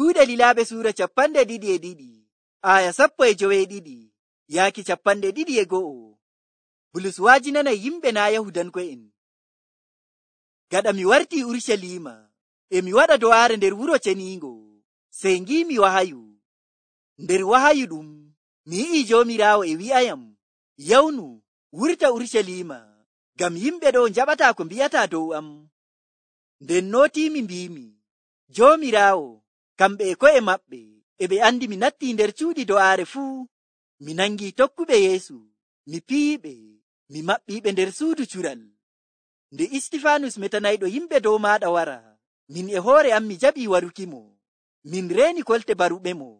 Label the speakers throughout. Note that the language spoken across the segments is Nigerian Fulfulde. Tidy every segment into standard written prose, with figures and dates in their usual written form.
Speaker 1: Kuuɗe Lilaaɓe suura 22 aya 12 yaaki 21. Bulus waajinanay yimɓe naa Yahudanko'en. Gaɗa mi wartii Urucaliima, e mi waɗa do'aare nder wuro ceniingo, sey ngiimi wahayu. Nder wahayu ɗum, mi yi'ii Joomiraawo e wi'ayam, yawnu, wurta Urucaliima, ngam yimɓe ɗo njaɓataa ko mbi'ataa dow am. Nden nootiimi mbiimi, Joomiraawo, kamɓe e ko'e maɓɓe, e ɓe andi mi nattii nder cuuɗi do'aare fuu. Mi nangii tokkuɓe Yeesu, mi piyiɓe, mi maɓɓiiɓe nder suudu cural. Nde Istifaanus metanayɗo yimɓe dow maaɗa wara, min e hoore am mi jaɓii warukimo. Min reeni kolte baruɓemo.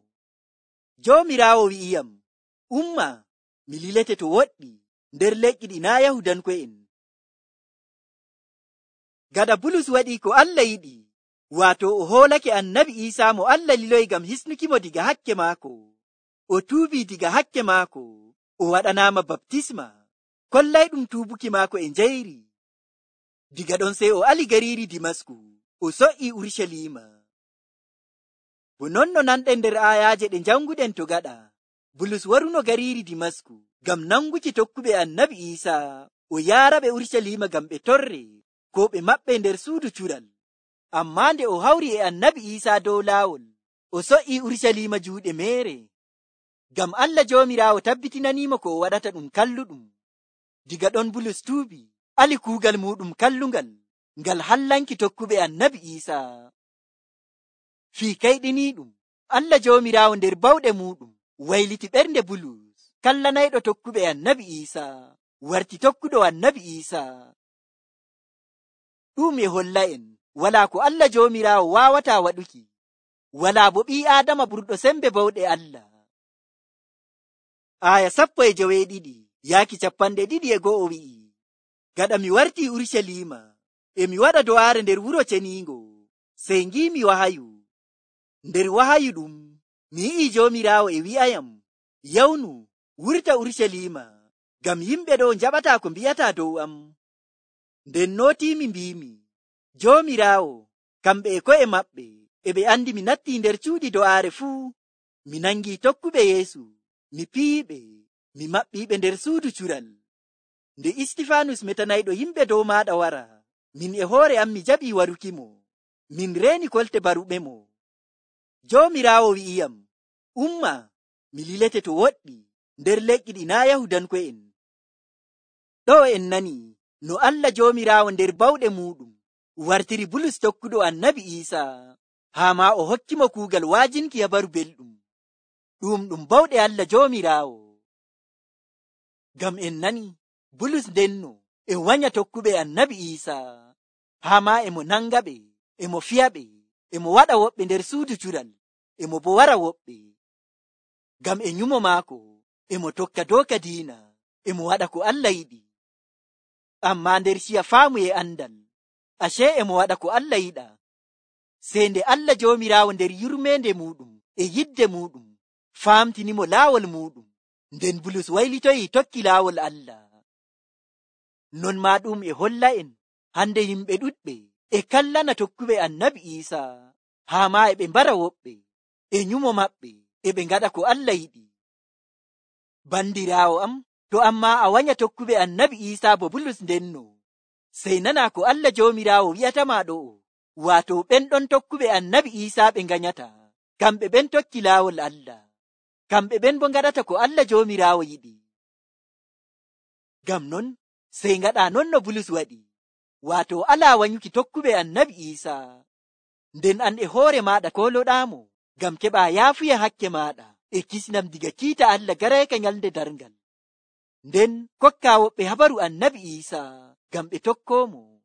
Speaker 1: Joomiraawo wi'iyam, umma, mi lilete to woɗɗi nder leƴƴi ɗi naa Yahudanko'en. Gaɗa Bulus waɗii ko Allah yiɗi, waato o hoolake Annabi Iisaa mo Allah liloyi ngam hisnukimo diga hakke maako. O tuubii diga hakke maako, o waɗanaama baptisma, kollayɗum tuubuki maako e njayri. Diga ɗon sey o ali gariiri Dimasku, o so'ii Urucaliima. Bo non no nanɗen nder aayaaje ɗe njanguɗen to gaɗa, Bulus waruno gariiri Dimasku ngam nanguki tokkuɓe Annabi Iisaa, o yaaraɓe Urucaliima ngam ɓe torre, ko ɓe maɓɓe nder suudu cural. Ammaa nde o hawri e Annabi Iisaa dow laawol, o so'ii Urucaliima juuɗe meere. Ngam Allah Joomiraawo tabbitinaniimo ko o waɗata ɗum kalluɗum. Diga ɗon Bulus tuubi, ali kuugal muɗum kallungal, ngal hallanki tokkuɓe Annabi Iisaa. Fii kayɗiniiɗum, Allah Joomiraawo nder bawɗe muɗum wayliti ɓernde Bulus, kallanayɗo tokkuɓe Annabi Iisaa, warti tokkuɗo Annabi Iisaa. Ɗum e holla'en walaa ko Allah Joomiraawo waawataa waɗuki, walaa bo ɓii Aadama ɓurɗo sembe bawɗe Allah. Aya 12 yaaki 21 wi'i, gaɗa mi wartii Urucaliima, e mi waɗa do'aare nder wuro ceniingo, sey ngiimi wahayu. Nder wahayu ɗum, mi yi'ii Joomiraawo e wi'ayam, yawnu, wurta Urucaliima, ngam yimɓe ɗo njaɓataa ko mbi'ataa dow am. Nden nootiimi mbiimi, Joomiraawo, kamɓe e ko'e maɓɓe, e ɓe andi mi nattii nder cuuɗi do'aare fuu. Mi nangii tokkuɓe Yeesu, mi piyiɓe, mi maɓɓiiɓe nder suudu cural. Nde Istifaanus metanayɗo yimɓe dow maaɗa wara, min e hoore am mi jaɓii warukimo. Min reeni kolte baruɓemo. Joomiraawo wi'iyam, umma, mi lilete to woɗɗi nder leƴƴi ɗi naa Yahudanko'en. Ɗo en nani no Allah Joomiraawo nder bawɗe muɗum wartiri Bulus tokkuɗo Annabi Iisaa, haa ma o hokkimo kuugal waajinki habaru belɗum. Ɗum bawɗe Allah Joomiraawo. Ngam en nani Bulus ndenno e wanya tokkuɓe Annabi Iisaa, haa ma emo nangaɓe, emo fiyaɓe, emo waɗa woɓɓe nder suudu cural, emo bo wara woɓɓe. Ngam e nyumo maako emo tokka dooka diina, emo waɗa ko Allah yiɗi. Ammaa nder ciya faamu e andal, ashe emo waɗa ko Allah yiɗa. Sey nde Allah Joomiraawo nder yurmeende muɗum e yidde muɗum faamtinimo laawol muɗum, nden Bulus waylitoyi tokki laawol Allah. Non maa ɗum e holla'en hande yimɓe ɗuɗɓe e kallana tokkuɓe Annabi Iisaa, haa ma e ɓe mbara woɓɓe, e nyumo maɓɓe e ɓe ngaɗa ko Allah yiɗi. Bandiraawo am, to ammaa a wanya tokkuɓe Annabi Iisaa bo Bulus ndenno, sey nana ko Allah Joomiraawo wi'atama ɗo, waato ɓen ɗon tokkuɓe Annabi Iisaa ɓe nganyata, kamɓe ɓen tokki laawol Allah, kamɓe ɓen bo ngaɗata ko Allah Joomiraawo yiɗi. Ngam non sey ngaɗa non no Bulus waɗi, waato alaa wanyuki tokkuɓe Annabi Iisaa. Nden an e hoore maaɗa koloɗaamo, ngam keɓa yaafuya hakke maaɗa e kisnam diga kiita Allah garayka nyalde darngal. Nden kokka woɓɓe habaru Annabi Iisaa ngam ɓe tokkoomo.